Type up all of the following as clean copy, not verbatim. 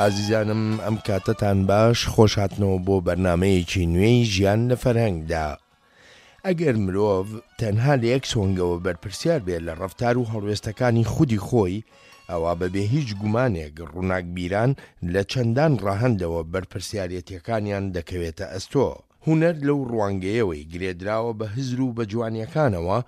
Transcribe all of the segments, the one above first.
ئازیزانم ئەم کاتەتان باش خۆشهاتنەوە بۆ بەرنامەیەکی نوێی ژیان لە فەرهەنگدا. ئەگەر مرۆڤ تەنها لە یەک سۆنگەوە بەرپرسیار بێت لە ڕەفتار و هەڵوێستەکانی خودی خۆی، ئەوا بەبێ هیچ گومانێک ڕووناکبیران لە چەندان ڕەهەندەوە بەرپرسیارێتیەکانیان دەکەوێتە ئەستۆ. هونەر لەو ڕوانگەیەوەی گرێدراوە بە هزر و بە جوانیەکانەوە،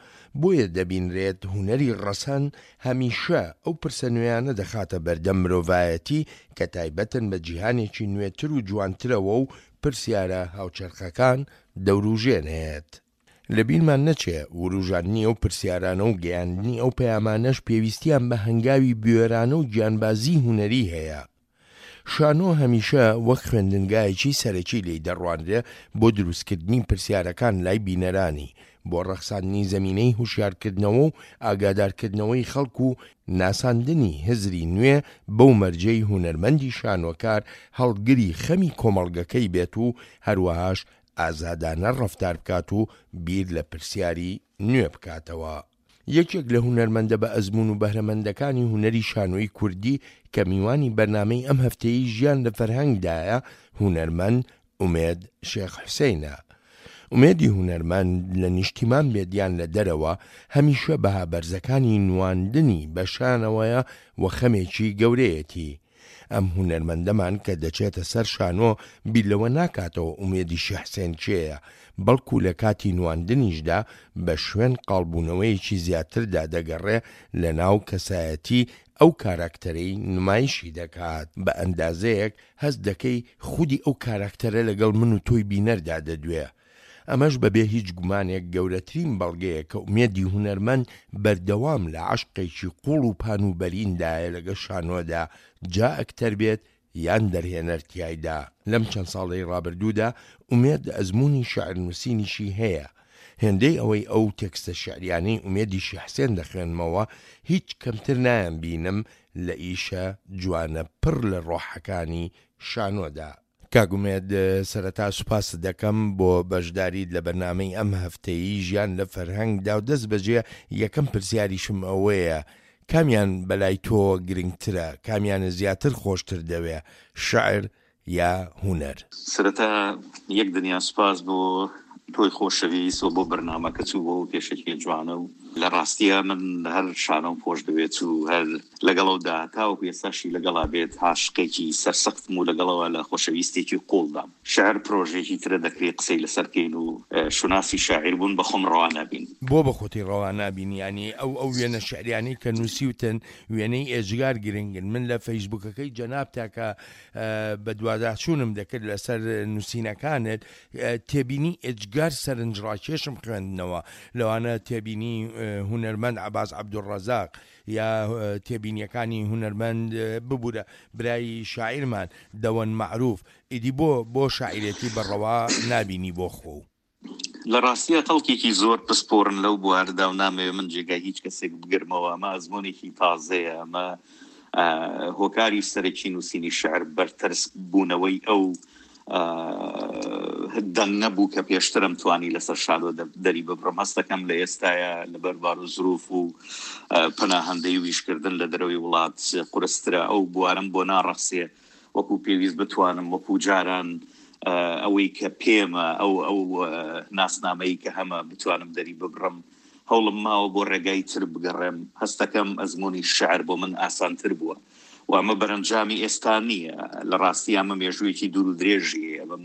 بۆیە دەبینرێت هونەری ڕەسەن هەمیشە ئەو پرسە نوێیانە دەخاتە بەردەم مرۆڤایەتی کە تایبەتن بە جیهانێکی نوێتر و جوانترەوە و پرسیارە هاوچەرخەکان دەوروژێنێت. لەبیرمان نەچێ وروژاندنی ئەو پرسیارانە و گەیاندنی ئەو پەیامانەش پێویستیان بە هەنگاوی بوێرانە و گیانبازیی هونەری هەیە. شانۆ هەمیشە وەک خوێندنگایەکی سەرەکی لێی دەڕوانرێ بۆ دروستکردنی پرسیارەکان لای بینەرانی، بۆ ڕەخساندنی زەمینەی هوشیارکردنەوە و ئاگادارکردنەوەی خەڵک و ناساندنی هزری نوێ بەو مەرجەی هونەرمەندی شانۆکار هەڵگری خەمی کۆمەڵگەکەی بێت و هەروەهاش ئازادانە ڕەفتار بکات و بیر لە پرسیاری نوێ بکاتەوە. یەکێک لە هونەرمەندە بە ئەزموون و بەهرەمەندەکانی هونەری شانۆی کوردی کە میوانی بەرنامەی ئەم هەفتەیەی ژیان لە فەرهەنگدایە، هونەرمەند ئومێد شێخ حوسەینە. ئومێدی هونەرمەند لە نیشتیمان بێت یان لە دەرەوە، هەمیشە بەها بەرزەکانی نواندنی بە شانەوەیە و خەمێکی گەورەیەتی. ئەم هونەرمەندەمان کە دەچێتە سەر شانۆ بیر لەوە ناکاتەوە ئومێدی شێ حسێن کێیە، بەڵکو لە کاتی نواندنیشدا بە شوێن قاڵبوونەوەیەکی زیاتردا دەگەڕێ لە ناو کەسایەتی ئەو کاراکتەرەی نمایشی دەکات. بە ئەندازەیەک هەست دەکەی خودی ئەو کاراکتەرە لەگەڵ من و تۆی بینەردا دەدوێ. ئەمەش بەبێ هیچ گومانێک گەورەترین بەڵگەیە کە ئومێدی هونەرمەند بەردەوام لە عەشقێکی قوڵ و پان و بەریندایە لەگەڵ شانۆدا جا ئەکتەر بێت یان دەرهێنەر تیایدا. لەم چەند ساڵەی ڕابردوودا ئومێد ئەزموونی شیعرنووسینیشی هەیە. هێندەی ئەوەی ئەو تێکستە شیعریانەی ئومێدی شێخ حسێن دەخوێنمەوە هیچ کەمتر نایانبینم لە ئیشە جوانە پڕ لە ڕۆحەکانی شانۆدا. کاک ئومێد سەرەتا سوپاست دەکەم بۆ بەشداریت لە بەرنامەی ئەم هەفتەیی ژیان لە فەرهەنگدا و دەست بەجێ یەکەم پرسیاریشم ئەوەیە کامیان بەلای تۆوە گرنگترە کامیانت زیاتر خۆشتر دەوێ شعر یا هونەر؟ سەرەتا یەک دنیا سوپاس بۆ تۆی خۆشەویست و بۆ بەرنامەکەت و بۆ ئەو پێشەکیە جوانە و لە ڕاستیا من هەر شانۆم خۆش دەوێت و هەر لەگەڵەودا تاوەکو ئێستاشی لەگەڵا بێت عاشقێکی سەرسەختم و لەگەڵەوە لە خۆشەویستێکی قوڵدام. شعر پرۆژەیەکی ترە دەکرێ قسەی لەسەر بکەین و شوناسی شاعیر بوون بە خۆم ڕەوا نابینم. بۆ بە خۆتی ڕەوا نابینی؟ یانی ئەو ئەو وێنە شعریانەی کە نووسیوتن وێنەی ئێجگار گرنگن من لە فەیسبووکەکەی جەنابتا کە بەدواداچوونم دەکرد لەسەر نووسینەکانت تێبینی ئێجگار سەرنجڕاکێشم خوێندنەوە لەوانە تێبینی هونەرمەند عەباس عەبدولڕەزاق یا تێبینیەکانی هونەرمەند ببورە برای شاعیرمان دەوەن مەعروف ئیدی بۆ بۆ شاعیرێتی بە ڕەوا نابینی بۆ خۆو. لە ڕاستیا خەڵکێکی زۆر پسپۆرن لەو بوارەدا و نامەوێ من جێگای هیچ کەسێک بگرمەوە، ئەمە ئەزموونێکی تازەیە، ئەمە هۆکاری سەرەکی نووسینی شعر بەرتەرسک بوونەوەی ئەو دەنگە بوو کە پێشترم توانی لەسەر شانۆ دەری ببڕم هەستەکەم لە ئێستاە لەبەر بار و زروف و پەناهەندەی و ئیشکردن لە دەرەوەی وڵات قورسترە ئەو بوارم بۆ ناڕەخسێ وەکو پێویست بتوانم وەکو جاران ئەوەی کە پێمە ئەو ئەو ناسنامەی کە هەمە بتوانم دەری ببڕم هەوڵم ماوە بۆ ڕێگای تر بگەڕێم هەستەکەم ئەزمموی شعر بۆ من ئاسانتر بووە و ئەمە بەرەنجامی ئێستا نییە لە ڕاستی ئەمە مێژوویەکی دوور و درێژی هەیە من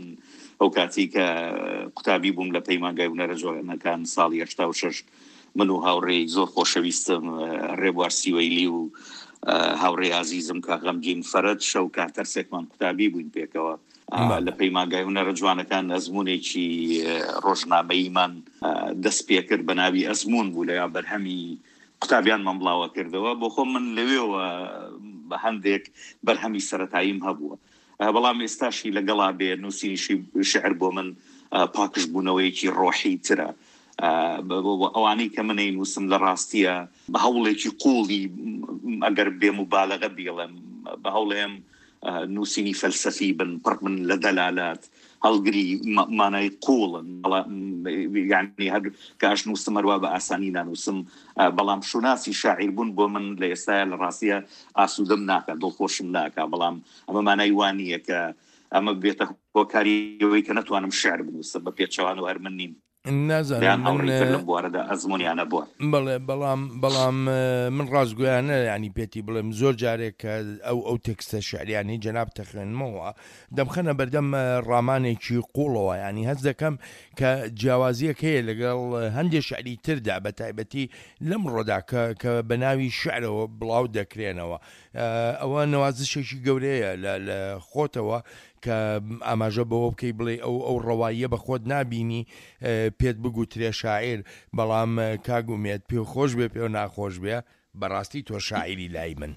ئەو کاتی کە قوتابی بووم لە پەیمانگای هونەرە جوانەکان ساڵی 86 من و هاوڕێی زۆر خۆشەویستم ڕێبوار سیوەیلی و هاوڕێی ئازیزم کاک غەمگین فەرەج شەو کاتەرسێکمان قوتابی بووین پێکەوە لە پەیمانگای هونەرە جوانەکان ئەزمونێکی ڕۆژنامەییمان دەست پێکرد بە ناوی ئەزمون بوو لە بەرهەمی قوتابیانمان بڵاوە کردەوە بۆ خۆم من لەوێوە بە هەندێک بەرهەمی سەتاییم هەبووە بەڵام ئێستاشی لەگەڵا بێ نووسینیشی شعر بۆ من پاکژبوونەوەیەکی ڕۆحی ترە ئەوانەی کە منەی نووسم لە ڕاستیە بە هەوڵێکی قوڵی ئەگەر بێ مبالغە بیڵێم بە هەوڵێم نووسینی فەلسەفی بن پڕ بن لە دەلالات. هەڵگری مانای قوڵن یعنی هەر کاش نووسم هەروا بە ئاسانی نانووسم بەڵام شوناسی شاعیر بوون بۆ من لە ئێستایا لە ڕاستیە ئاسوودەم ناکا دڵخۆشم ناکا بەڵام ئەمە مانای وا نییە کە ئەمە بێتە هۆکاری ئەوەی کە نەتوانم شعر بنووسم بە پێچەوانەوە هەر من نیم. نازانم دەیان هاوڕێی تر لەم بوارەدا ئەزموونیان هەبووە. بەڵێ بەڵام بەڵام من ڕاستگۆیانە یانی پێتی بڵێم زۆر جارێک کە ئەو ئەو تێکستە شعریانەی جەنابت دەخوێنمەوە دەمخەنە بەردەم ڕامانێکی قوڵەوە یانی هەست دەکەم کە جیاوازیەک هەیە لەگەڵ هەندێ شعری تردا بە تایبەتی لەمڕۆدا کە کە بە ناوی شعرەوە بڵاو دەکرێنەوە ئەوە نەوازشێکی گەورەیە لە لە خۆتەوە کە ئاماژە بەوە بکەی بڵێی ئەو ئەو ڕەواییە بە خۆت نابینی پێت بگوترێ شاعیر بەڵام کاک ئومێد پێ خۆش بێ پێ ناخۆش بێ بەڕاستی تۆ شاعیری لای من.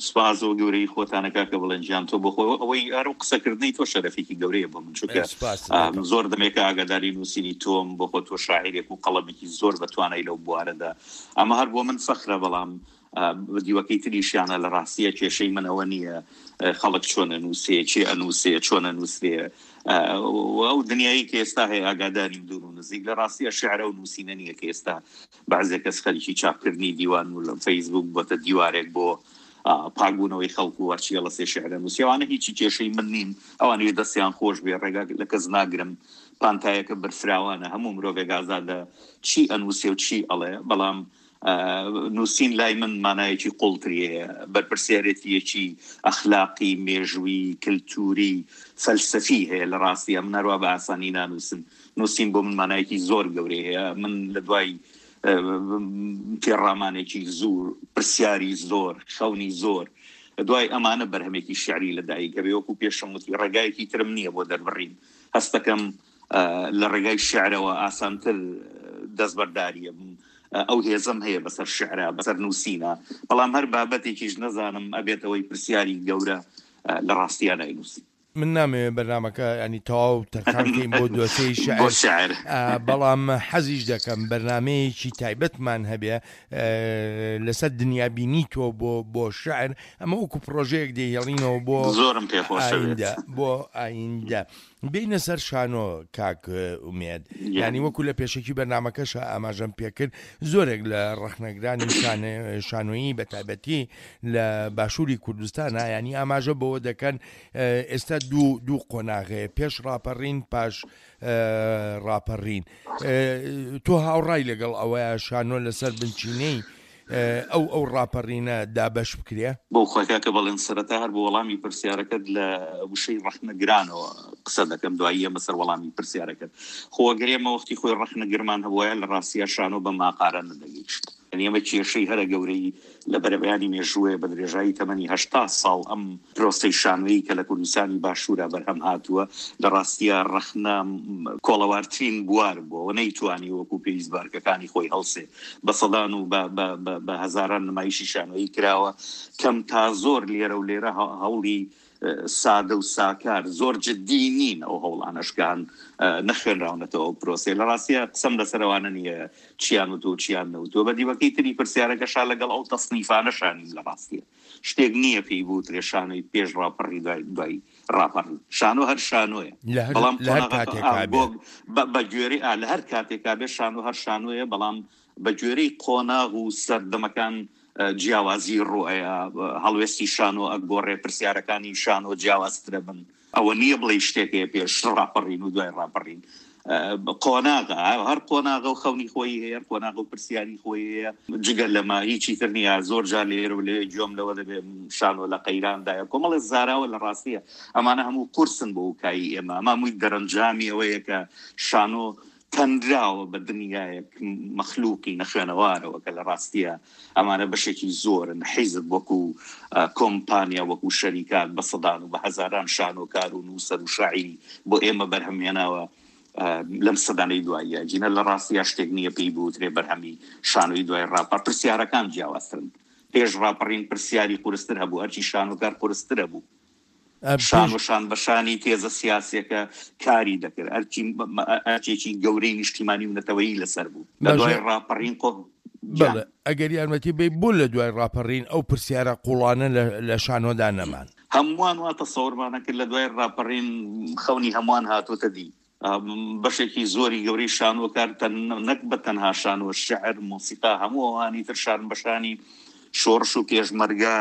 سوپاس بۆ گەورەیی خۆتانە کاکە بەڵێن گیان تۆ بۆ خۆ ئەوەی ئەو قسەکردنەی تۆ شەرەفێکی گەورەیە بۆ من چونکە سوپاست دەکەم. زۆر دەمێکە ئاگاداری نووسینی تۆم بۆ خۆ تۆ شاعیرێک و قەڵەمێکی زۆر بە توانای لەو بوارەدا ئەمە هەر بۆ من فەخرە بەڵام دیوەکەی تریشیانە لە ڕاستیە کێشەی من ئەوە نییە خەڵک چۆن ئەنووسێ چێ ئەنووسێ چۆن ئەنووسرێ ئەو دنیایی کە ئێستا هەیە ئاگاداریم دوور و نزیک لە ڕاستیە شعرە و نووسینە نییە کە ئێستا بەعزێ کەس خەریکی چاپکردنی دیوان و لە فەیسبوک بۆتە دیوارێک بۆ پاکبوونەوەی خەڵک و هەرچی هەڵەسێ شعرە نووسی ئەوانە هیچی کێشەی من نین ئەوانیش دەستیان خۆش بێ ڕێگا لە کەس ناگرم پانتایەکە بەرفراوانە هەموو مرۆڤێک ئازادە چی ئەنووسێ و چی ئەڵێ بەڵام نووسین لای من مانایەکی قوڵتری هەیە، بەرپرسیارێتییەکی ئەخلاقی، مێژوویی، کلتووری، فەلسەفی هەیە لە ڕاستیا من هەروا بە ئاسانی نانووسم، نووسین بۆ من مانایەکی زۆر گەورەی هەیە، من لە دوای تێڕامانێکی زور، پرسیاری زۆر، خەونی زۆر، دوای ئەمانە بەرهەمێکی شیعری لە دایک ئەبێ، وەکوو پێشم وتی ڕێگایەکی ترم نییە بۆ دەربڕین، هەستەکەم لە ڕێگای شیعرەوە ئاسانتر دەستبەرداری ئەبم، ئەو هێزەم هەیە بەسەر شیعرا، بەسەر نووسینا، بەڵام هەر بابەتێکیش نەزانم ئەبێتەوەی پرسیاری گەورە لە ڕاستیا ناینووسم. من نامەوێ بەرنامەکە یانی تەواو تەرخان کەین بۆ دۆسێی شیعر، بەڵام حەزیش دەکەم بەرنامەیەکی تایبەتمان هەبێ لەسەر دنیابینی تۆ بۆ بۆ شیعر، ئەمە وەکو پڕۆژەیەک دەیهێڵینەوە بۆ زۆرم پێ خۆشە بێت. بۆ ئایندە. بێینە سەر شانۆ کاک ئومێد، یانی وەکو لە پێشەکی بەرنامەکەشا ئاماژەم پێکرد زۆرێک لە ڕەخنەگرانی شانۆیی بە تایبەتی لە باشووری کوردستانە یانی ئاماژە بەوە دەکەن ئێستا دوو دوو قۆناغەیە پێش ڕاپەڕین پاش ڕاپەڕین تۆ هاوڕای لەگەڵ ئەوەیە شانۆ لەسەر بنچینەی ئەو ئەو ڕاپەڕینە دابەش بکرێ؟ بۆ خۆی کاکە بەڵێن سەرەتا هەر بۆ وەڵامی پرسیارەکەت لە وشەی ڕەخنەگرانەوە قسە دەکەم دوایی ئێمە سەر وەڵامی پرسیارەکەت. خۆ ئەگەر ئێمە وەختی خۆی ڕەخنەگرمان هەبوایە لە ڕاستیا شانۆ بەم ئاقارە نەدەگەیشت. یانی ئێمە کێشەی هەرە گەورەی لە بەرەبەیانی مێژووەیە بە درێژایی تەمەنی 80 ساڵ ئەم پرۆسەی شانۆیی کە لە کوردستانی باشوورا بەرهەم هاتووە لە ڕاستیا ڕەخنە کۆڵەوارترین بوار بووە و نەیتوانی وەکوو پێویست بە ئەرکەکانی خۆی هەڵسێ. بە سەدان و بە بە بە بە هەزاران نمایشی شانۆیی کراوە کەم تا زۆر لێرە و لێرە هەوڵی سادە و ساکار زۆر جدی نین ئەو هەوڵانەش کە هەن نەخوێنراونەتەوە ئەو پرۆسەیە لە ڕاستیە قسەم لەسەر ئەوانە نییە چیان وتووە و چیان نەوتووە بە دیوەکەی تری پرسیارەکەشا لەگەڵ ئەو تەسنیفانەشا نیم لە ڕاستیە شتێک نییە پێی بوترێ شانۆی پێش ڕاپەڕی دوای دوای ڕاپەڕین شانۆ هەر شانۆیە لە هەر بەڵام لە هەر قۆناغەکە کاتێکا ئا بێ. بۆ بە بە گوێرەی ئا لە هەر کاتێکا بێ شانۆ هەر شانۆیە بەڵام بە گوێرەی قۆناغ و سەردەمەکان جیاوازی ڕوئەیا هەڵوێستی شانۆ ئەگۆڕێ پرسیارەکانی شانۆ جیاوازترە بن ئەوە نییە بڵێی شتێک هەیە پێش ڕاپەڕین و دوای ڕاپەڕین قۆناغە هەر قۆناغە و خەونی خۆی هەیە قۆناغ و پرسیاری خۆی هەیە جگە لەمە هیچی تر نییە زۆر جار لێرە و لەوێ گوێم لەوە دەبێ شانۆ لە قەیراندایە کۆمەڵێ زاراوە لە ڕاستیە ئەمانە هەموو قورسن بۆ وکایی ئێمە ئەمە هەمووی دەرەنجامی ئەوەیە کە شانۆ تەنراوە بە دنیایەک مەخلوقی نەخوێنەوارەوە کە لە ڕاستیە ئەمانە بەشێکی زۆرن حیزب وەکو کۆمپانیا وەکو شەریکات بە سەدان و بە هەزاران شانۆکار و نووسەر و شاعیری بۆ ئێمە بەرهەم هێناوە لەم سەدانەی دواییە گینە لە ڕاستیا شتێک نییە پێی بوترێ بەرهەمی شانۆی دوای ڕاپەڕ پرسیارەکان جیاوازترن پێش ڕاپەڕین پرسیاری قورستر هەبوو ئەرکی شانۆکار قورستر هەبوو شان و شان بە شانی تێزە سیاسیەکە کاری دەکرد، ئەرکی ئەرکێکی گەورەی نیشتیمانی و نەتەوەیی لەسەر بوو. لە دوای ڕاپەڕین قۆ بەڵێ ئەگەر یارمەتی بەی بۆ لە دوای ڕاپەڕین ئەو پرسیارە قوڵانە لە شانۆدا نەمان؟ هەمووان وا تەسەورمان ئەکرد لە دوای ڕاپەڕین خەونی هەمووان هاتۆتە دی. بەشێکی زۆری گەورەی شانۆکار نەک بە تەنها شانۆ، شعر، مۆسیقا، هەموو ئەوانی تر شان بە شانی شۆڕش و پێشمەرگە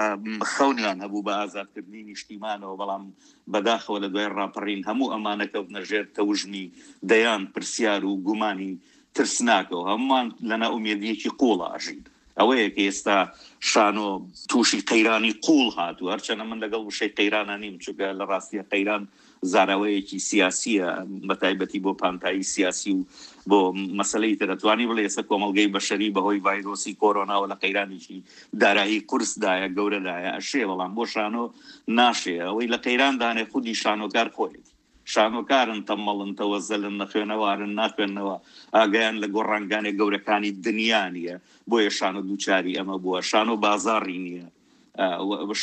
خەونیان هەبوو بە ئازادکردنی نیشتیمانەوە، بەڵام بەداخەوە لە دوای ڕاپەڕین هەموو ئەمانە کەوتنە ژێر تەوژمی دەیان پرسیار و گومانی ترسناکەوە، هەموومان لە نائومێدییەکی قووڵا ئەژین. ئەوەیە کە ئێستا شانۆ تووشی قەیرانی قووڵ هاتووە، هەرچەندە من لەگەڵ وشەی قەیرانا نیم، چونکە لە ڕاستیا قەیران زاراوەیەکی سیاسییە، بەتایبەتی بۆ پانتایی سیاسی و بۆ مەسەلەی تر. ئەتوانی بڵێی ئێستا کۆمەڵگەی بەشەری بەهۆی ڤایرۆسی کۆرۆناوە لە قەیرانێکی دارایی قورسدایە، گەورەدایە، ئەشێ، بەڵام بۆ شانۆ ناشێ. ئەوەی لە قەیراندانێ خودی شانۆکار خۆیەتی. شانۆکارن، تەممەڵن، تەوەزەلن، نەخوێنەوارن، ناخوێننەوە، ئاگایان لە گۆڕانگانێ گەورەکانی دنیا نییە، بۆیە شانۆ دووچاری ئەمە بووە. شانۆ بازاڕی نییە،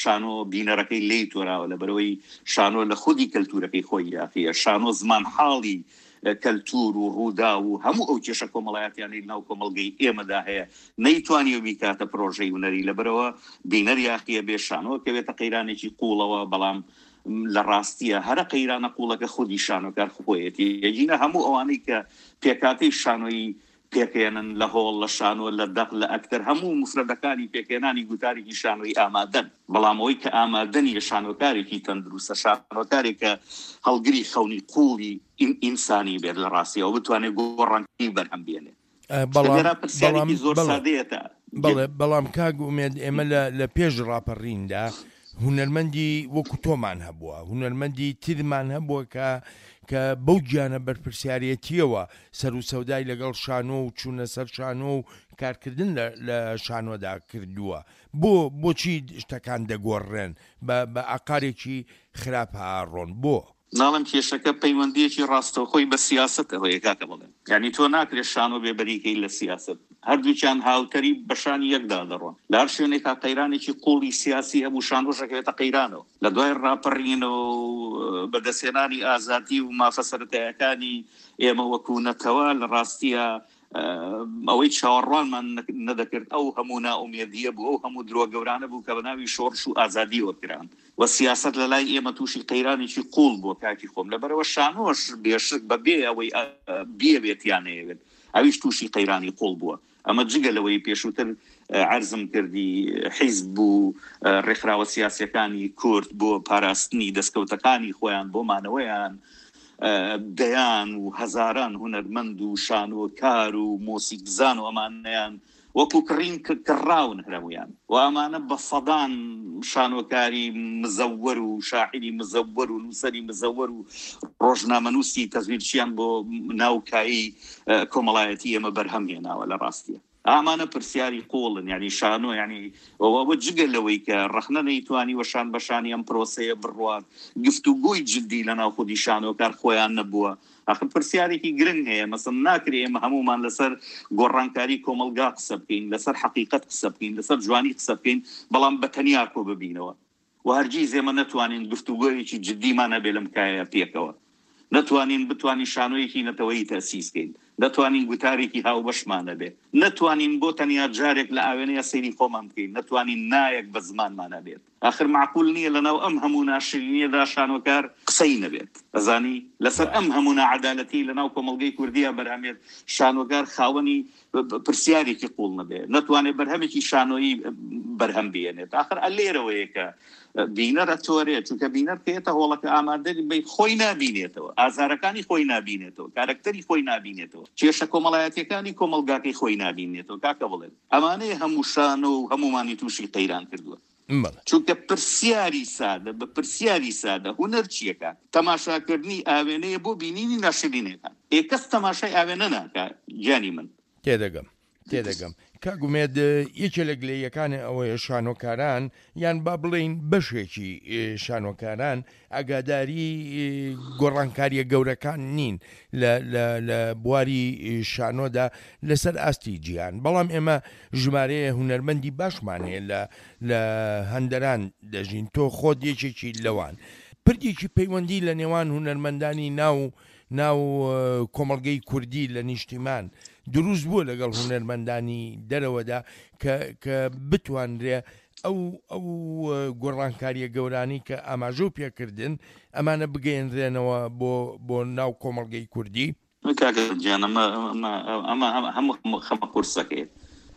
شانۆ بینەرەکەی لێی تۆراوە، لەبەرئەوەی شانۆ لە خودی کەلتوورەکەی خۆی یاخییە. شانۆ زمانحاڵی کەلتوور و ڕووداو و هەموو ئەو کێشە کۆمەڵایەتیانەی لەناو کۆمەڵگەی ئێمەدا هەیە، نەیتوانیوە بیکاتە پرۆژەی هونەری، لەبەرئەوە بینەر یاخییە، بێ شانۆ ئەکەوێتە قەیرانێکی قووڵەوە، بەڵام لە ڕاستییا هەرە قەیرانە قووڵەکە خودی شانۆکار خۆیەتی، ئەگینا هەموو ئەوانەی کە پێکهاتەی شانۆیی پێکهێنن لە هۆڵ، لە شانۆ، لە دەق، لە ئەکتەر، هەموو موفرەدەکانی پێکهێنانی گوتارێکی شانۆیی ئامادەن، بەڵام ئەوەی کە ئامادە نییە شانۆکارێکی تەندروستە، شانۆکارێک کە هەڵگری خەونی قووڵی ئینسانی بێت لە ڕاستییەوە بتوانێت گۆڕانکاری بەرهەم بێنێت. بەڵام پرسیارێکی زۆر سادەیە تا بەڵێ بەڵام کاک ئومێد ئێمە لە لە پێش ڕاپەڕیندا هونەرمەندی وەکو تۆمان هەبووە هونەرمەندی ترمان هەبووە کە کە بەو گیانە بەرپرسیارەتیەوە سەر و سەودای لەگەڵ شانۆ و چوونە سەر شانۆ و کارکردن لە لە شانۆدا کردووە بۆ بۆچی شتەکان دەگۆڕرێن بە بە ئاقارێکی خراپ ئاڕۆن بۆ؟ ناڵێم کێشەکە پەیوەندییەکی ڕاستەوخۆی بە سیاسەتەوە هەیە کاکە بەڵێن. یانی تۆ ناکرێت شانۆ بێ بەریکەی لە سیاسەت. هەردووکیان هاوتەریب بە شانی یەکدا دەڕۆن. لە هەر شوێنێکا قەیرانێکی قووڵی سیاسی هەبوو شانۆش ئەکەوێتە قەیرانەوە. لە دوای ڕاپەڕینەوە و بەدەستهێنانی ئازادی و مافە سەرەتایەکانی ئێمە وەکوو نەتەوە لە ڕاستیا ئەوەی چاوەڕوانمان نەدەکرد ئەو هەموو نائومێدییە بوو، ئەو هەموو درۆ گەورانە بوو کە بە ناوی شۆڕش و ئازادییەوە کران و سیاسەت لە لای ئێمە تووشی قەیرانێکی قووڵ بووە کاکی خۆم، لەبەرئەوە شانۆش بێشک بە بێ ئەوەی بیەوێت یا نەیەوێت ئەویش تووشی قەیرانی قووڵ بووە. ئەمە جگە لەوەی پێشووتر عەرزم کردی حیزب و ڕێکخراوە سیاسییەکانی کورد بۆ پاراستنی دەستکەوتەکانی خۆیان، بۆ مانەوەیان، دەیان و هەزاران هونەرمەند و شانۆکار و مۆسیکزان و ئەمانەیان وەکو کڕین کڕاون هەموویان و ئەمانە بە سەدان شانۆکاری مزەوەر و شاعیری مزەوەر و نووسەری مزەوەر و ڕۆژنامەنووسی تەزویرچیان بۆ ناو کایەی کۆمەڵایەتی ئێمە بەرهەم هێناوە لە ڕاستیە. ئامانە پرسیاری قوڵن یعنی شانۆ یعنی ئەوە جگە لەوەی کە ڕەخنە نەیتوانیوە شان بە شانی ئەم پرۆسەیە بڕوات گفتوگۆی جدی لە ناو خودی شانۆکار خۆیان نەبووە ئەخر پرسیارێکی گرنگ هەیە مەسەن ناکرێ ئێمە هەموومان لەسەر گۆڕانکاری کۆمەڵگا قسە بکەین لەسەر حەقیقەت قسە بکەین لەسەر جوانی قسە بکەین بەڵام بە تەنیا کۆ ببینەوە و هەرگیز ئێمە نەتوانین گفتوگۆیەکی جدیمان هەبێ لەم کایەیە پێکەوە، نەتوانین بتوانین شانۆیەکی نەتەوەیی تەئسیس کەین، نەتوانین گوتارێکی هاوبەشمان هەبێ، نەتوانین بۆ تەنیا جارێک لە ئاوێنەیا سەیری خۆمان بکەین، نەتوانین نایەک بە زمانمان هەبێت. ئاخر مەعقول نییە لەناو ئەم هەموو ناشرینییەدا شانۆکار قسەی نەبێت. ئەزانی؟ لەسەر ئەم هەموو ناعەدالەتیەی لەناو کۆمەڵگەی کوردییا بەرهەمێت، شانۆکار خاوەنی پرسیارێکی قوڵ نەبێ نەتوانێت بەرهەمێکی شانۆیی بەرهەم بێنێت ئاخر ئەلێرەوەیە کە بینەر ئەتۆرێت چونکە بینەر کە هۆڵەکە ئامادە بی خۆی نابینێتەوە ئازارەکانی خۆی نابینێتەوە کارەکتەری خۆی نابینێتەوە کێشە کۆمەڵایەتیەکانی کۆمەڵگاکەی خۆی نابینێتەوە کاکە بڵێن ئەمانەیە هەموو شانۆ و هەمومانی تووشی قەیران کردووە چونکە پرسیاری سادە بە پرسیاری سادە هونەر چییە کاک؟ تەماشاکردنی ئاوێنەیە بۆ بینینی ناشرینەکان. ئێ کەس تەماشای ئاوێنە ناکا گیانی من. تێدەگەم تێدەگەم کاک ئومێد یەکێ لە گلەییەکانێ ئەوەیە شانۆکاران یان با بڵێین بەشێکی شانۆکاران ئاگاداری گۆڕانکاریە گەورەکان نین لە لە لە بواری شانۆدا لەسەر ئاستی جیهان بەڵام ئێمە ژمارەیە هونەرمەندی باشمان هەیە لە لە هەندەران دەژین تۆ خۆت یەکێکی لەوان پردێکی پەیوەندی لە نێوان هونەرمەندانی ناو ناو کۆمەڵگەی کوردی لە نیشتیمان دروست بووە لەگەڵ هونەرمەندانی دەرەوەدا کە کە بتوانرێ. ئەو ئەو گۆڕانکارییە گەورانەی کە ئاماژەو پێکردن ئەمانە بگەیەنرێنەوە بۆ بۆ ناو کۆمەڵگەی کوردی؟ کاکە گیان ئەمە ئەمە ئەمە هەموو خەمە قورسەکەیە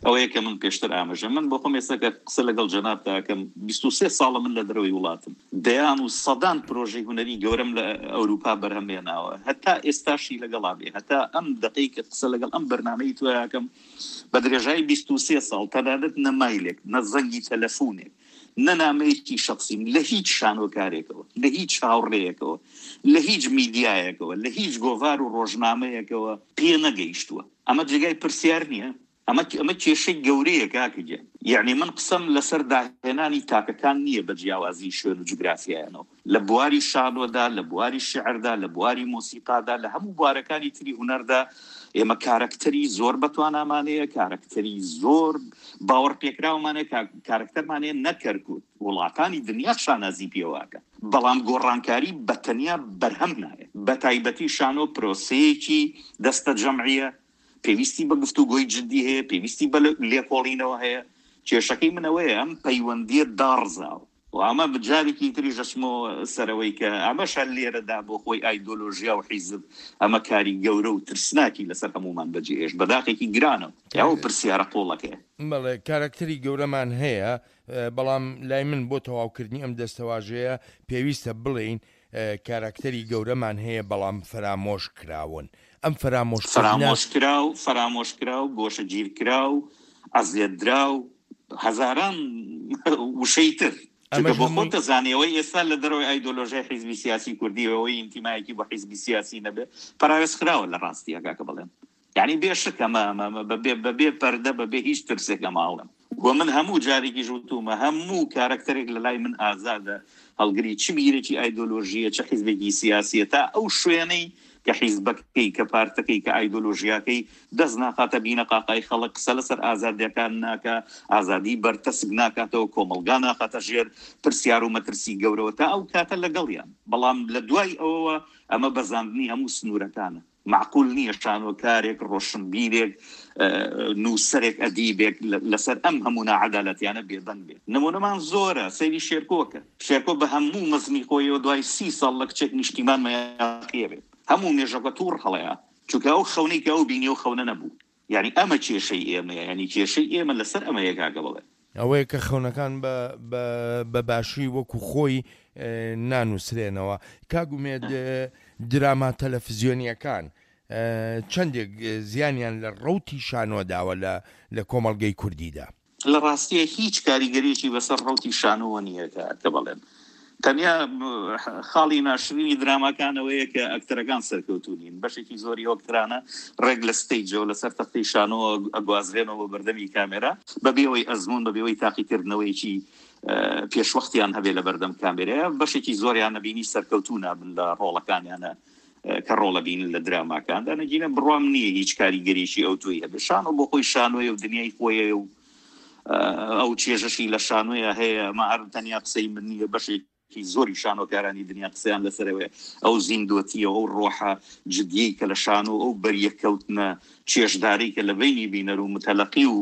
ئەوەیە کە من پێشتر ئاماژە من بۆ خۆم ئێستا کە قسە لەگەڵ جەنابتا ئەکەم 23 ساڵە من لە دەرەوەی وڵاتم دەیان و سەدان پرۆژەی هونەری گەورەم لە ئەوروپا بەرهەم هێناوە هەتا ئێستاشی لەگەڵا بێ هەتا ئەم دەقەی کە قسە لەگەڵ ئەم بەرنامەی تۆ ئەکەم بە درێژای 23 ساڵ تەنانەت نە مایلێک نە زەنگی تەلەفونێک نە نامەیەکی شەخسیم لە هیچ شانۆکارێکەوە، لە هیچ هاوڕێیەکەوە، لە هیچ میدیایەکەوە، لە هیچ گۆڤار و ڕۆژنامەیەکەوە پێ نەگەیشتووە. ئەمە جێگای پرسیار نییە؟ ئەمە ئەمە کێشەی گەورەیە کاکە گیان. یەعنی من قسەم لەسەر داهێنانی تاکەکان نییە بە جیاوازی شوێن و جوگرافیایانەوە. لە بواری شانۆدا، لە بواری شیعردا، لە بواری مۆسیقادا، لە هەموو بوارەکانی تری هونەردا ئێمە کارەکتەری زۆر بەتوانامان هەیە، کارەکتەری زۆر باوەڕپێکراومان هەیە، کارەکتەرمان هەیە نەک کەرکوک، وڵاتانی دنیا شانازی پێوە ئەکەن. بەڵام گۆڕانکاری بە تەنیا بەرهەم نایەت. بەتایبەتی شانۆ پرۆسەیەکی دەستەجەمعییە، پێویستی بە گفتوگۆی جدی هەیە، پێویستی بە لێکۆڵینەوە هەیە. کێشەکەی من ئەوەیە ئەم پەیوەندییە داڕزاوە. و ئەمە جارێکی تریش دەچمەوە سەر ئەوەی کە ئەمەش هەر لێرەدا بۆ خۆی ئایدۆلۆژیا و حیزب ئەمە کاری گەورە و ترسناکی لەسەر هەموومان بەجێهێشت بە داخێکی گرانەوە. ئەو پرسیارە قووڵەکەیە. بەڵێ کارەکتەری گەورەمان هەیە، بەڵام لای من بۆ تەواوکردنی ئەم دەستەواژەیە پێویستە بڵێین کاراکتەری گەورەمان هەیە بەڵام فەرامۆش کراون. ئەم فەرامۆشکردنە. فەرامۆشکراو، فەرامۆشکراو، گۆشەگیرکراو، ئەزیەتدراو، هەزاران وشەی تر. چونکە ئەمەش بۆ خۆت هەمووی. دەزانی ئەوەی ئێستا لە دەرەوەی ئایدۆلۆژیای حیزبی سیاسی کوردی و ئەوەی ئینتیمایەکی بۆ حیزبی سیاسی نەبێ پەراوێزخراوە لە ڕاستییا کاکە بەڵێن. یانی بێ شک ئەمە ئەمە ئەمە بە بێ بە بێ پەردە بە بێ هیچ ترسێک ئەمە ئەڵێم. وە من هەموو جارێکیش وتوومە هەموو کارەکتەرێک لە لای من ئازادە هەڵگری چ بیرێکی ئایدۆلۆژییە چ حیزبێکی سیاسییە تا ئەو شوێنەی کە حیزبەکەی کە پارتەکەی کە ئایدۆلۆژیاکەی دەست ناخاتە بینەقاقای خەڵک قسە لەسەر ئازادیەکان ناکا ئازادی بەرتەسک ناکاتەوە کۆمەڵگا ناخاتە ژێر پرسیار و مەترسی گەورەوە تا ئەو کاتە لەگەڵیان بەڵام لە دوای ئەوەوە ئەمە بەزاندنی هەموو سنوورەکانە. مەعقول نییە شانۆکارێک، ڕۆشنبیرێک، نووسەرێک، ئەدیبێک لەسەر ئەم هەموو ناعەدالەتیانە بێدەنگ بێت. نموونەمان زۆرە، سەیری شێرکۆ کە. شێرکۆ بە هەموو مەزنی خۆیەوە دوای سی ساڵ لە کچێک نیشتیمان مەیاقییە بێت. هەموو مێژەکە تووڕ هەڵەیە. چونکە ئەو خەونەی کە ئەو بینی ئەو خەونە نەبوو. یانی ئەمە کێشەی ئێمەیە، یانی کێشەی ئێمە لەسەر ئەمەیە کاکە بەڵێ. ئەوەیە کە خەونەکان بە بە بە باشی وەکو خۆی نانووسرێنەوە. کاک ئومێد دراما تەلەفزیۆنییەکان چەندێک زیانیان لە ڕەوتی شانۆ داوە لە لە کۆمەڵگەی کوردیدا؟ لە ڕاستییا هیچ کاریگەریەکی بەسەر ڕەوتی شانۆوە نییە کە کە بەڵێن تەنیا خاڵی ناشرینی دراماکان ئەوەیە کە ئەکتەرەکان سەرکەوتوو نین بەشێکی زۆری ئەو ئەکتەرانە ڕێک لە ستەیجەوە لەسەر تەختەی شانۆوە ئەگوازرێنەوە بۆ بەردەمی کامێرا بەبێ ئەوەی ئەزموون بەبێ ئەوەی تاقیکردنەوەیەکی پێشوەختیان هەبێ لە بەردەم کامێرەیە بەشێکی زۆریان نەبینی سەرکەوتوو نابن لە ڕۆڵەکانیانە کە ڕۆڵە بینن لە دراماکاندا نەگینە بڕوام نییە هیچ کاریگەریی ئەوتۆی هەبێ شانۆ بۆ خۆی شانۆیە و دنیای خۆیە و ئەو چێژەشی لە شانۆیە هەیە ئەمە هەر تەنیا قسەی من نییە بەشێکی زۆری شانۆکارانی دنیا قسەیان لەسەرەوەیە ئەو زیندۆتیە ئەو ڕۆحە جدیەی کە لە شانۆ ئەو بەریەککەوتنە چێژدارەی کە لە بەینی بینەر و متەلەقی و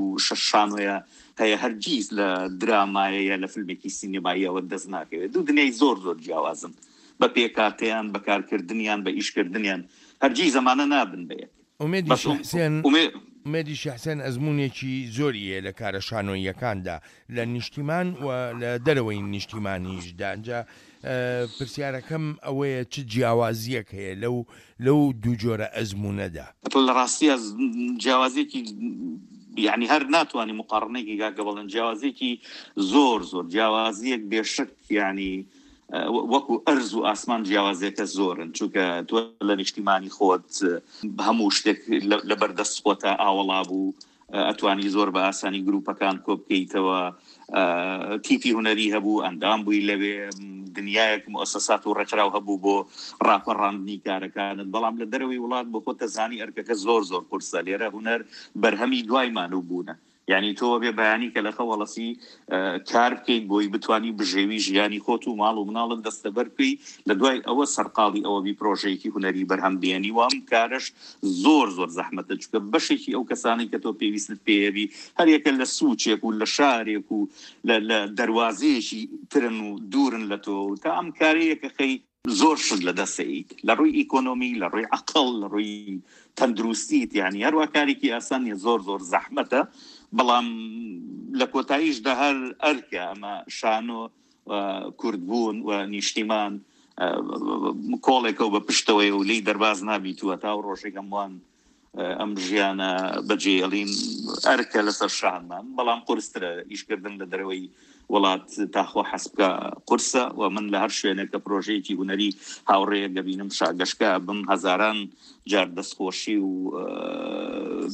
شانۆیە هەیە هەرگیز لە درامایە یا لە فیلمێکی سینەماییەوە دەست ناکەوێت دوو دنیای زۆر زۆر جیاوازن بە پێکهاتەیان بە کارکردنیان بە ئیشکردنیان هەرگیز ئەمانە نابن بە یەک. ئومێدی شێخ حسێن ئومێدی شێخ حسێن ئەزموونێکی زۆری هەیە لە کارە شانۆییەکاندا لە نیشتیمان و لە دەرەوەی نیشتیمانیشدا ئینجا پرسیارەکەم ئەوەیە چ جیاوازییەک هەیە لەو لەو دوو جۆرە ئەزموونەدا؟ لە ڕاستیا جیاوازیەکی یانی هەر ناتوانی مقاڕنەیەکی کاکە بەڵێن جیاوازیەکی زۆر زۆر جیاوازیەک بێشک یانی وەکو ئەرز و ئاسمان جیاوازیەکە زۆرن چونکە تۆ لە نیشتیمانی خۆت هەموو شتێک لە بەردەست خۆتە ئاوەڵا بوو ئەتوانی زۆر بە ئاسانی گروپەکان کۆبکەیتەوە تیپی هونەری هەبوو ئەندام بووی لەوێ دنیایەک موسسات و ڕێکخراو هەبوو بۆ ڕاپەڕاندنی کارەکانت بەڵام لە دەرەوەی وڵات بۆ خۆت دەزانی ئەرکەکە زۆر زۆر قورسە لێرە هونەر بەرهەمی دوای مانوو بوونە. یانی تۆ ئەبێ بەیانی کە لە خەو هەڵەسی کار بکەیت بۆی بتانی بژێوی ژیانی خۆت و ماڵ و مناڵت دەستەبەر بکەی لە دوای ئەوە سەرقاڵی ئەوە بی پرۆژەیەکی هونەری بەرهەم بێنی و ئەم کارەش زۆر زۆر زەحمەتە چونکە بەشێکی ئەو کەسانەی کە تۆ پێویستت پێیەبی هەریەکە لە سوچێک و لە شارێک و لە دەروازەیەکی ترن و دوورن لە تۆ تا ئەم کارەیە کە خەی زۆر شت لە دەست ئەیت لە ڕووی ئیکۆنۆمی لە ڕووی عەقڵ لە ڕووی تەندروستیت یعنی هەروە کارێکی ئاسان نیە زۆر زۆر زەحمەتە بەڵام لە کۆتاییشدا هەر ئەرکە ئەمە شانۆ کوردبوون و نیشتیمان کۆڵێکە و بە پشتەوەی و لی دەرباز نابیت و تا و ڕۆژێک هەمووان ئەم ژیانە بەجێهێڵین ئەرکە لەسەر شانمان، بەڵام قورسترە ئیشکردن لە دەرەوەی وڵات تا خۆ حەز بکا قورسە و من لە هەر شوێنێک کە پرۆژەیەکی هونەری هاوڕێیەک دەبینم شاگەشکە ئەبم هەزاران جار دەستخۆشی و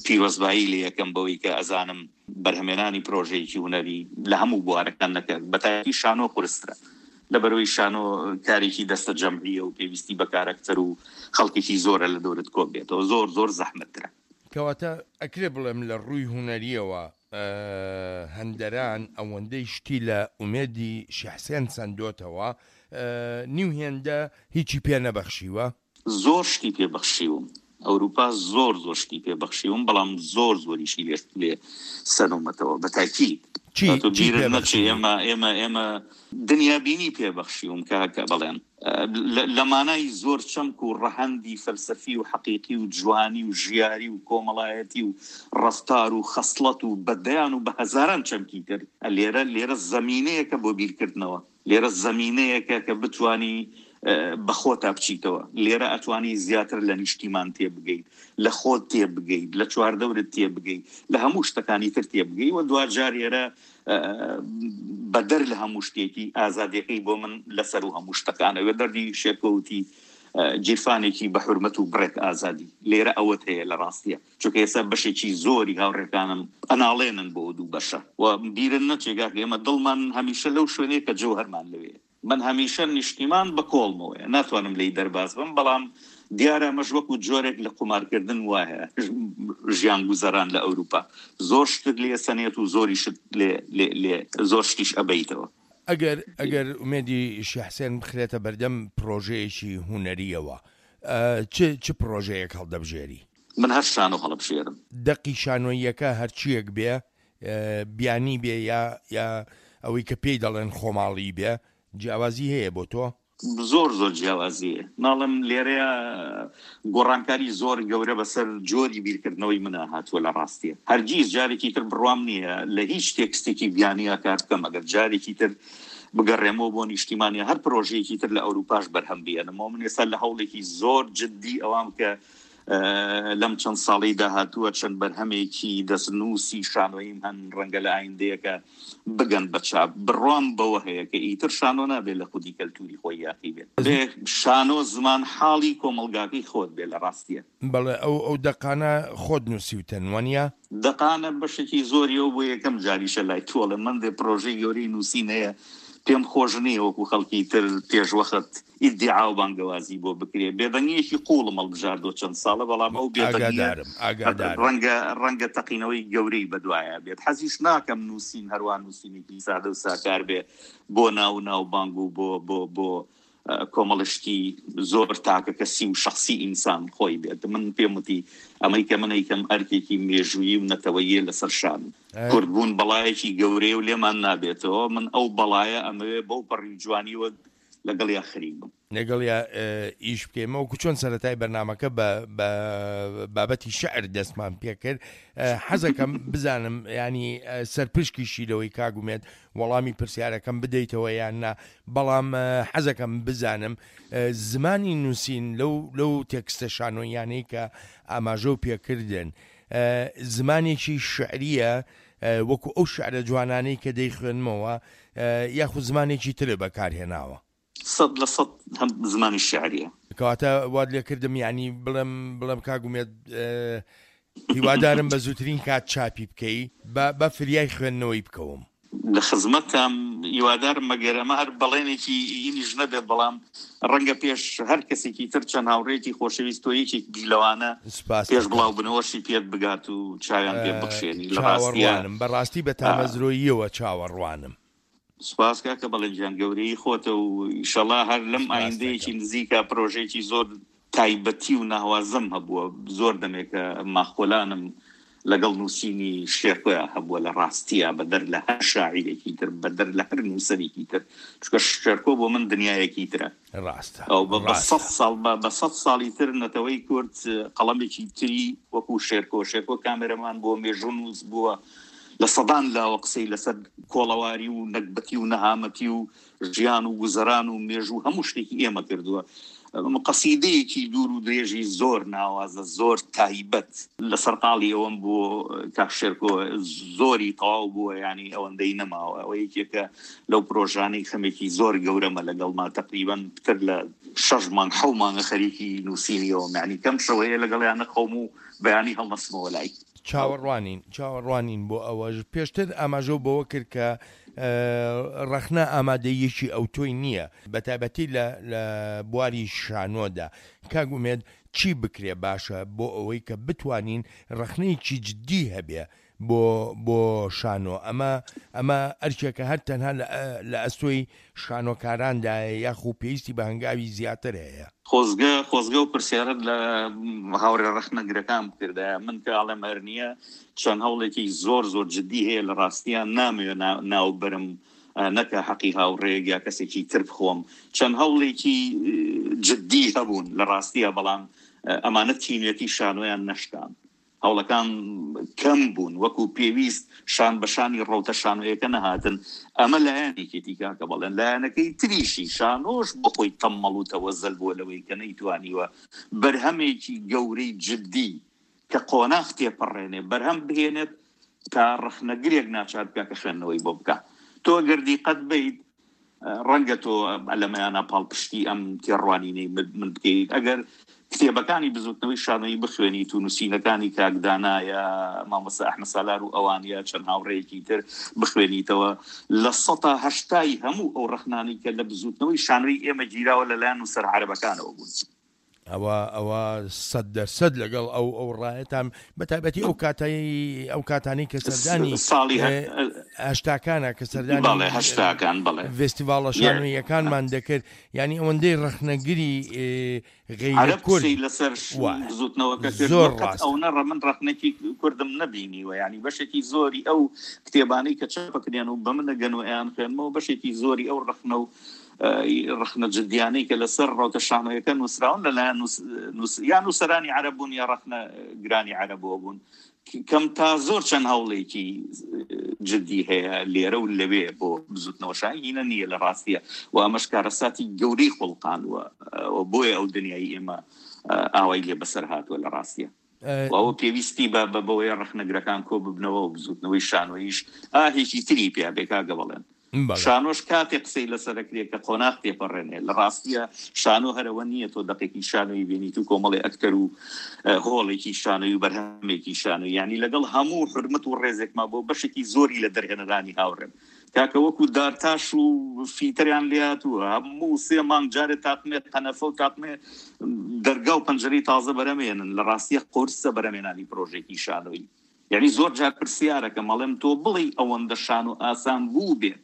پیرۆزبایی لێ ئەکەم بەوەی کە ئەزانم بەرهەمێنانی پرۆژەیەکی هونەری لە هەموو بوارەکان نەکە بەتایبەتی شانۆ قورسترە. لەبەرئەوەی شانۆ کارێکی دەستە جەمعیە و پێویستی بە کارەکتەر و خەڵکێکی زۆرە لە دەورت کۆ بێتەوە زۆر زۆر زەحمەتترە. کەواتە ئەکرێ بڵێم لە ڕووی هونەریەوە هەندەران ئەوەندەی شتی لە ئومێدی شێحسێن سەندۆتەوە نیو هێندە هیچی پێ نەبەخشیوە؟ زۆر شتی پێ بەخشیوم ئەوروپا زۆر زۆر شتی پێ بەخشیوم بەڵام زۆر زۆریشی لێ لێ سەنومەتەوە بە تاکید چی تۆ چی بیرت پێ نەچێ بەخشیوی؟ ئێمە ئێمە ئێمە دنیابینی پێ بەخشیوم کاکە بەڵێن لە لە مانای زۆر چەمک و ڕەهەندی فەلسەفی و حەقیقی و جوانی و ژیاری و کۆمەڵایەتی و ڕەفتار و خەسڵەت و بە دەیان و بە هەزاران چەمکی تر لێرە لێرە زەمینەیەکە بۆ بیرکردنەوە لێرە زەمینەیەکە کە بتوانی بە خۆتا بچیتەوە، لێرە ئەتوانی زیاتر لە نیشتیمان تێبگەیت، لە خۆت تێبگەیت، لە چواردەورت تێبگەیت، لە هەموو شتەکانی تر تێبگەی و دواجار ئێرە بەدەر لە هەموو شتێکی ئازادیەکەی بۆ من لەسەروو هەموو شتەکانە. وێ دەردی شێرکۆ وتی گیرفانێکی بە حورمەت و بڕێک ئازادی لێرە ئەوەت هەیە لە ڕاستیە. چونکە ئێستا بەشێکی زۆری هاوڕێکانم ئەناڵێنن بۆ دوو بەشە و بیرت نەچێ کاکە ئێمە دڵمان هەمیشە لەو شوێنەیە کە جەوهەرمان لەوێیە. من هەمیشە نیشتیمان بە کۆڵمەوەیە ناتوانم لێی دەرباز بم، بەڵام دیارە ئەمەش وەکو جۆرێک لە قومارکردن وایە ژیان گوزەران لە ئەوروپا زۆر شتت لێ ئەسەنێت و زۆریشت لێ لێ لێ زۆر شتیش ئەبەیتەوە. ئەگەر ئەگەر ئومێدی شێخ حسێن بخرێتە بەردەم پرۆژەیەکی هونەرییەوە چ چ پرۆژەیەک هەڵدەبژێری؟ من هەر شانۆ هەڵەبژێرم. دەقی شانۆییەکە هەرچییەک بێ، بیانی بێ یا یا ئەوەی کە پێی دەڵێن خۆماڵی بێ، جیاوازی هەیە بۆ تۆ؟ زۆر زۆر جیاوازی هەیە. ناڵێم لێرەیا گۆڕانکاری زۆر گەورە بەسەر جۆری بیرکردنەوەی منا هاتووە لە ڕاستیا. هەرگیز جارێکی تر بڕوام نییە لە هیچ تێکستێکی بیانیا کار بکەم ئەگەر جارێکی تر بگەڕێمەوە بۆ نیشتیمان یا هەر پرۆژەیەکی تر لە ئەوروپاش بەرهەم بێنمەوە. من ئێستا لە هەوڵێکی زۆر جدی ئەوام کە لەم چەند ساڵەی داهاتووە چەند بەرهەمێکی دەستنووسی شانۆییم هەن، ڕەنگە لە ئایندەیەکە بگەن بە چاپ. بڕوام بەوە هەیە کە ئیتر شانۆ نابێت لە خودی کەلتووری خۆی یاخی بێت. دەبێ شانۆ زمانحاڵی کۆمەڵگاکەی خۆت بێت لە ڕاستییا. بەڵێ ئەو ئەو دەقانە خۆت نووسیوتن وەنیە؟ دەقانە بەشێکی زۆری ئەو بۆ یەکەم جاریشە لای تۆ ئەڵێم من دێ پرۆژەی گەورەی نووسین هەیە پێم خۆش نییە وەکو خەڵکی تر پێشوەخت ئیدیعا و بانگەوازی بۆ بکرێ. بێدەنگییەکی قووڵم هەڵبژاردووە چەند ساڵە، بەڵام ئەو بێدەنگییە ئاگادارم، ئاگادارم. ڕەنگە ڕەنگە تەقینەوەی گەورەی بەدوایا بێت. حەزیش ناکەم نووسین هەروا نووسینێکی سادە و ساکار بێ بۆ ناو و ناوبانگ و بۆ بۆ بۆ کۆمەڵە شتی زۆر تاکەکەسی و شەخسی ئینسان خۆی بێت. من پێم وتی ئەمەی کە من ئەیکەم ئەرکێکی مێژوویی و نەتەوەییە لەسەر شانم. کوردبوون بەڵایەکی گەورەیە و لێمان نابێتەوە. من ئەو بەڵایە ئەمەوێ بەو پەڕی جوانییەوە لەگەڵیا خەریک بم. لەگەڵیا ئیش بکەین. وەکو چۆن سەرەتای بەرنامەکە بە بە بابەتی شعر دەستمان پێکرد حەزەکەم بزانم ینی سەرپشکیشی لەوەی کاک ئومێد وەڵامی پرسیارەکەم بدەیتەوە یان نا بەڵام حەزەکەم بزانم زمانی نووسین لەو لەو تێکستە شانۆییانەی کە ئاماژە و پێکردن زمانێکی شعریە وەکو ئەو شعرە جوانانەی کە دەیخوێنمەوە یاخود زمانێکی ترت بەکارهێناوە؟ 100% هەم زمانی شیعریە. کەواتە وات لێکردم یانی بڵێم بڵێم کاک ئومێد هیوادارم بە زووترین کات چاپی بکەی با با فریای خوێندنەوەی بکەوم. لە خزمەتتام، هیوادارم مەگەر ئەمە هەر بەڵێنێکی ئینیش نەبێت، بەڵام ڕەنگە پێش هەر کەسێکی تر چەند هاوڕێیەکی خۆشەویست تۆ یەکێک بی لەوانە سپاست پێش دەکەم. بڵاوبوونەوەشی پێت بگات و چاویان پێ بخشێنی لە ڕاستیا. چاوەڕوانم، بەڕاستی بە تامەزرۆییەوە چاوەڕوانم. سپاس کاکە بەڵێن گیان گەورەیی خۆتە و ئیشەڵا هەر لەم سپاست ئایندەیەکی دەکەم. نزیکا پرۆژەیەکی زۆر تایبەتی و ناوازەم هەبووە زۆر دەمێکە ماخۆلانم لەگەڵ نووسینی شێرکۆیا هەبووە لە ڕاستیا بەدەر لە هەر شاعیرێکی تر بەدەر لە هەر نووسەرێکی تر چونکە شێرکۆ بۆ من دنیایەکی ترە ڕاستە ئەو بە بە ڕاستە. سەد ساڵ بە بە سەد ساڵی تر نەتەوەی کورد قەڵەمێکی تری وەکوو شێرکۆ شێرکۆ کامێرەمان بووە مێژوونووس بووە لە سەدان لاوە قسەی لەسەر کۆڵەواری و نەگبەتی و نەهامەتی و ژیان و گوزەران و مێژوو هەموو شتێکی ئێمە کردووە. قەسیدەیەکی دوور و درێژی زۆر ناوازە، زۆر تایبەت. لە سەرقاڵی ئەوەم بۆ کاک شێرکۆ زۆری تەواو بووە یانی ئەوەندەی نەماوە. ئەوە یەکێکە لەو پرۆژانەی خەمێکی زۆر گەورەمە لەگەڵما تەقریبەن پتر لە شەش مانگ حەو مانگە خەریکی نووسینی ئەوەم یانی کەم شەو هەیە لەگەڵیان نەخەوم و بەیانی هەڵنەسمەوە لای. چاوەڕوانین چاوەڕوانین بۆ ئەوەش. پێشتر ئاماژەو بەوە کرد کە ڕەخنە ئامادەییەکی ئەوتۆی نییە بەتایبەتی لە لە بواری شانۆدا. کاک ئومێد چی بکرێ باشە بۆ ئەوەی کە بتوانین ڕەخنەیەکی جدی هەبێ بۆ بۆ شانۆ؟ ئەمە ئەمە ئەرکێکە هەر تەنها لە لە ئەستۆی شانۆکاراندایە یاخو پێویستی بە هەنگاوی زیاتر هەیە؟ خۆزگە خۆزگە ئەو پرسیارەت لە هاوڕێ ڕەخنەگرەکان بکردایە، من کە ئەڵێم هەر نییە، چەند هەوڵێکی زۆر زۆر جدی هەیە لە ڕاستیا نامەوێ ناو بەرم نەکا حەقی هاوڕێیەک یا کەسێکی تر بخۆم، چەند هەوڵێکی جدی هەبوون لە ڕاستیا بەڵام ئەمانە تینوێتی شانۆیان نەشکاند. هەوڵەکان کەم بوون، وەکو پێویست شان بە شانی ڕەوتە شانۆیەکە نەهاتن، ئەمە لایەنێکێتی کاکە بەڵێن، لایەنەکەی تریشی شانۆش بۆ خۆی تەممەڵ و تەوەزەل بووە لەوەی کە نەیتوانیوە بەرهەمێکی گەورەی جدی کە قۆناغ تێپەڕێنێ بەرهەم بهێنێت تا ڕەخنەگرێک ناچار بکا کە خوێندنەوەی بۆ بکا. تۆ گەر دیقەت بەیت ڕەنگە تۆ لەمەیانا پاڵپشتی ئەم تێڕوانینەی من بکەیت، ئەگەر کتێبەکانی بزوتنەوەی شانۆیی بخوێنیت و نووسینەکانی کاک دانا یا مامۆستا ئەحمەد سالار و ئەوان یا چەند هاوڕێیەکی تر بخوێنیتەوە، لە سەتا هەشتای هەموو ئەو ڕەخنانەی کە لە بزوتنەوەی شانۆیی ئێمە گیراوە لەلایەن نووسەرە عەرەبەکانەوە بوون. ئەوە ئەوە سەد دەر سەد لەگەڵ ئەو ئەو ڕایەتام بە تایبەتی ئەو کاتەی ئەو کاتانەی کە سەردانی ساڵی هەشتاکانە کە سەردانی بەڵێ هەشتاکان بەڵێ ڤێستیڤاڵە شانۆییەکانمان دەکرد یانی ئەوەندەی ڕەخنەگری غەیرە عەرەب کورد قسەی لەسەر وایە بزوتنەوەکە کرد زۆر قەت ڕاستە. ئەونە ڕە من ڕەخنەکی کوردم نەبینیوە یانی بەشێکی زۆری ئەو کتێبانەی کە چاپەکرێن و بە من ئەگەن و ئەیانخوێنمەوە بەشێکی زۆری ئەو ڕەخنە و ڕەخنە جدیانەی کە لەسەر ڕەوتە شانۆیەکە نووسراون لەلایەن یا نووسەرانی عەرەب بوون یا ڕەخنە گرانی عەرەبەوە بوون کەم تا زۆر چەند هەوڵێکی جدی هەیە لێرە و لەوێ بۆ بزوتنەوە شاهینە نییە لە ڕاستیە و ئەمەش کارەساتی گەورەی خوڵقاندووە بۆیە ئەو دنیای ئێمە ئاوای لێ بەسەر هاتووە لە ڕاستیە و ئەوە پێویستی بە بە بەوەیە ڕەخنەگرەکان کۆ ببنەوە و بزوتنەوەی شانۆییش ئاهێکی تری پیا بێ کاکە بەڵێن. شانۆش کاتێ قسەی لەسەر ئەکرێ کە قۆناغ تێپەڕێنێ. لە ڕاستیا شانۆ هەر ئەوە نییە تۆ دەقێکی شانۆیی بێنیت و کۆمەڵێ ئەکتەر و هۆڵێکی شانۆیی و بەرهەمێکی شانۆیی. یانی لەگەڵ هەموو حورمەت و ڕێزێکما بۆ بەشێکی زۆری لە دەرهێنەرانی هاوڕێم کاکە وەکو دارتاش و فیتەریان لێهاتووە هەموو سێ مانگ جارێ تاقمێ قەنەفە و تاقمێ دەرگا و پەنجەرەی تازە بەرەمێنن لە ڕاستیە قورسە بەرەمێنانی پرۆژێکی شانۆیی یعنی زۆر جار پرسیارەکەم ئەڵێم تۆ بڵێی ئەوەندە شانۆ ئاسان بوو بێت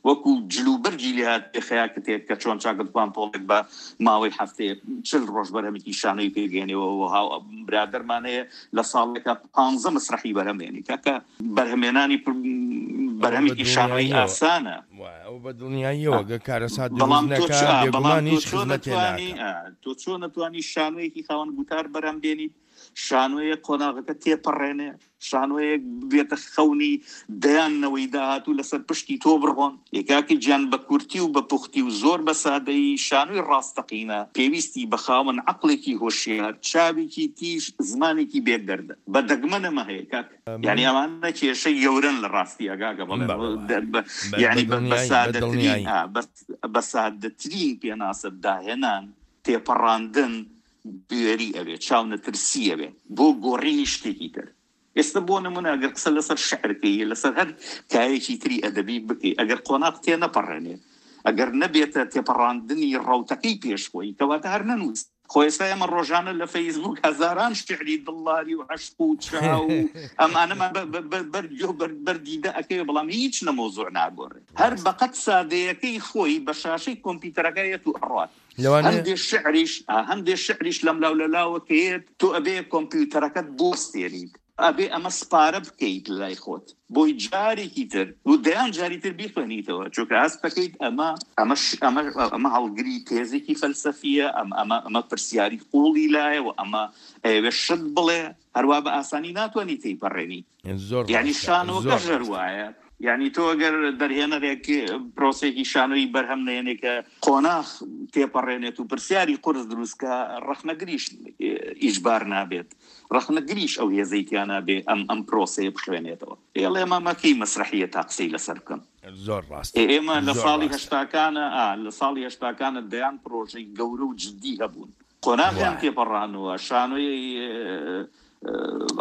وەکو جلوبەرگی لێهات پێ خەیاکتێک کە چۆن چاکت پانتۆڵێک بە ماوەی هەفتەیەک چل ڕۆژ بەرهەمێکی شانۆی پێگەێنێەوە هاو برادەرمان هەیە لە ساڵێکا پانزە مەسرەحی بەرهەمێنی کاکە بەرهەمێنانی بەرهەمێکی شانۆیی ئاسانە. وایە ئەوە بە دڵنیاییەوە گەر کارەسات دروست نەکا بێگومان هیچ خزمەتێ ناکا. تۆ چۆن ئەتوانی شانۆیەکی خاوەن گوتار بەرهەم بێنیت شانۆیەک قۆناغەکە تێپەڕێنێ، شانۆیەک ببێتە خەونی دەیان نەوەی داهاتوو لەسەر پشتی تۆ بڕۆن. ئێ کاکە گیان بە کورتی و بە پوختی و زۆر بە سادەیی شانۆی ڕاستەقینە پێویستی بە خاوەن عەقڵێکی هۆشیار، چاوێکی تیژ، زمانێکی بێ گەردە. بە دەگمەن ئەمە هەیە کاک. یانی ئەمانە کێشەی گەورەن لە ڕاستیا کاکە بەڵێ. یانی بە سادەترین بە سادەترین پێناسە داهێنان، تێپەڕاندن، بوێری ئەوێ، چاونەترسی ئەوێ بۆ گۆڕینی شتێکی تر. ئێستا بۆ نمونە ئەگەر قسە لەسەر شعر کەی لەسەر هەر کایەکی تری ئەدەبی بکەی ئەگەر قۆناغ تێنەپەڕێنێ ئەگەر نەبێتە تێپەڕاندنی ڕەوتەکەی پێش خۆی کەواتە هەر نەنووس. خۆ ئێستا ئێمە ڕۆژانە لە فەیسبووک هەزاران شعری دڵداری و عەشق و چاو و ئەمانەمان بەر گوێ و بەر دیدە ئەکەوێ بەڵام هیچ لە مەوزوع ناگۆڕێ هەر بەقەد سادەیەکەی خۆی بە شاشەی کۆمپیوتەرەکە یەت و ئەڕوات. لەوانەیە هەندێ شعریش هەندێ شعریش لەملاو لەلاوە کەیەت تۆ ئەبێ کۆمپیوتەرەکەت بوەستێنیت ئەبێ ئەمە سپارە بکەیت لای خۆت بۆی جارێکی تر و دەیان جاری تر بیخوێنیتەوە چونکە هەست دەکەیت ئەمە ئەمە ئەمە ئەمە هەڵگری تێزێکی فەلسەفیە ئەم ئەمە ئەمە پرسیاری قوڵی لایە و ئەمە ئەیەوێ شت بڵێ هەروا بە ئاسانی ناتوانانی تێیپەڕێنی زۆر یعنی ڕاستە شانۆکەش زۆر هەر ڕاستە وایە یعنی تۆ ئەگەر دەرهێنەرێک پرۆسێکی شانۆیی بەرهەم نێنێ کە قۆناخ تێپەڕێنێت و پرسیاری قورس دروستکە ڕەخنەگریش ئیجبار نابێت ڕەخنەگریش ئەو هێزەی تیا نابێ ئەم ئەم پرۆسەیە بخوێنێتەوە ئێڵێ ئێمە مەکەی مەسرەحیە تا قسەی لەسەر بکەم زۆر ڕاستە ئێمە لە زۆر ساڵی ڕاستە هەشتاکانە ئا لە ساڵی هەشتاکانە دەیان پرۆژەی گەورە و جدی هەبوون قۆناغیان وایە. تێپەڕانووە، شانۆی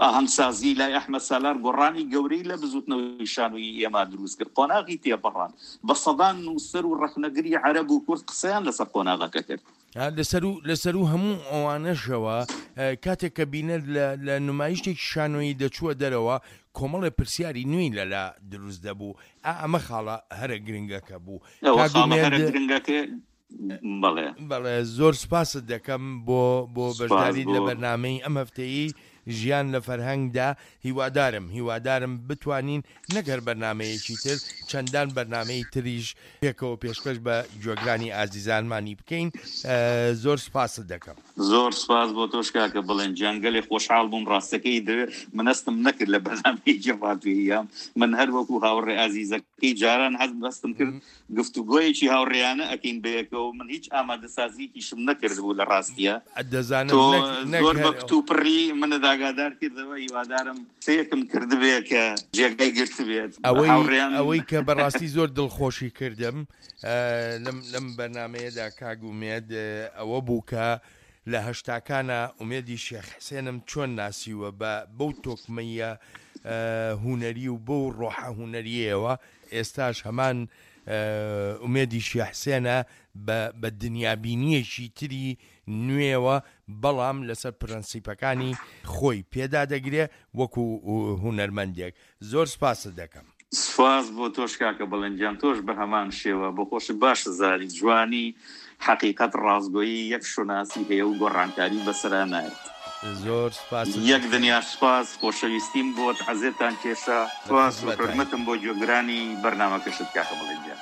ئاهەنگسازی لای ئەحمەد سالار گۆڕانی گەورەی لە بزووتنەوەی شانۆیی ئێمە دروست کرد، قۆناغی تێپەڕاند، بە سەدان نووسەر و ڕەخنەگری عەرەب و کورد قسەیان لەسەر قۆناغەکە کرد. لە سەروو هەموو ئەوانەشەوە کاتێک کە بینەر لە نمایشتێکی شانۆیی دەچووە دەرەوە، کۆمەڵێ پرسیاری نوێی لەلا دروست دەبوو. ئا ئەمە خاڵە هەرە گرنگەکە بوو. ئەوە کاک خاڵە ئومێد. هەرە گرنگەکە بەڵێ. بەڵێ زۆر سوپاست دەکەم بۆ بۆ سوپاس بەشداریت بۆ. لە بەرنامەی ئەم هەفتەیەی ژیان لە فەرهەنگدا هیوادارم هیوادارم بتوانین نەک هەر بەرنامەیەکی تر چەندان بەرنامەی تریش پێکەوە پێشکەش بە گوێگرانی ئازیزانمانی بکەین زۆر سوپاست دەکەم. زۆر سوپاس بۆ تۆش کاکە بڵێن گیان گەلێ خۆشحاڵ بووم ڕاستەکەی دەوێ من هەستم نەکرد لە بەرنامەیەکی ڕادیۆییام من هەر وەکو هاوڕێ ئازیزەکەی جاران هەستم کرد گفتوگۆیەکی هاوڕێیانە ئەکەین بەیەکەوە من هیچ ئامادەسازیەکیشم نەکردبوو لە ڕاستیە دەزانم تۆ نەک نەک زۆر بە هەر کتوپڕی منت ئاگادار کردەوە هیوادارم قسەیەکم کردبێ کە جێگای گرتبێت ئەوەی هاوڕێیان ئەوەی کە بەڕاستی زۆر دڵخۆشی کردم لەم لەم بەرنامەیەدا کاک ئومێد ئەوە بوو کە لە هەشتاکانا ئومێدی شێخ حسێنم چۆن ناسیوە بە بەو تۆکمەییە هونەری و بەو ڕۆحە هونەریەوە ئێستاش هەمان ئومێدی شێخ حسێنە بە بە دنیابینیەکی تری نوێوە بەڵام لەسەر پرەنسیپەکانی خۆی پێدادەگرێ وەکو هونەرمەندێک زۆر سپاست دەکەم. سپاس بۆ تۆش کاکە بەڵێن گیان تۆش بەهەمان شێوە بۆ خۆشت باش ئەزانی جوانی حەقیقەت ڕاستگۆیی یەک شوناسی هەیە و گۆڕانکاری بەسەرا نایەت. زۆر سپاست یەک دەکەم. دنیا سپاس خۆشەویستیم بۆت عەزێتان کێشا لە سپاس و خزمەتاین. حورمەتم بۆ گوێگرانی بەرنامەکەشت کاکە بەڵێن گیان.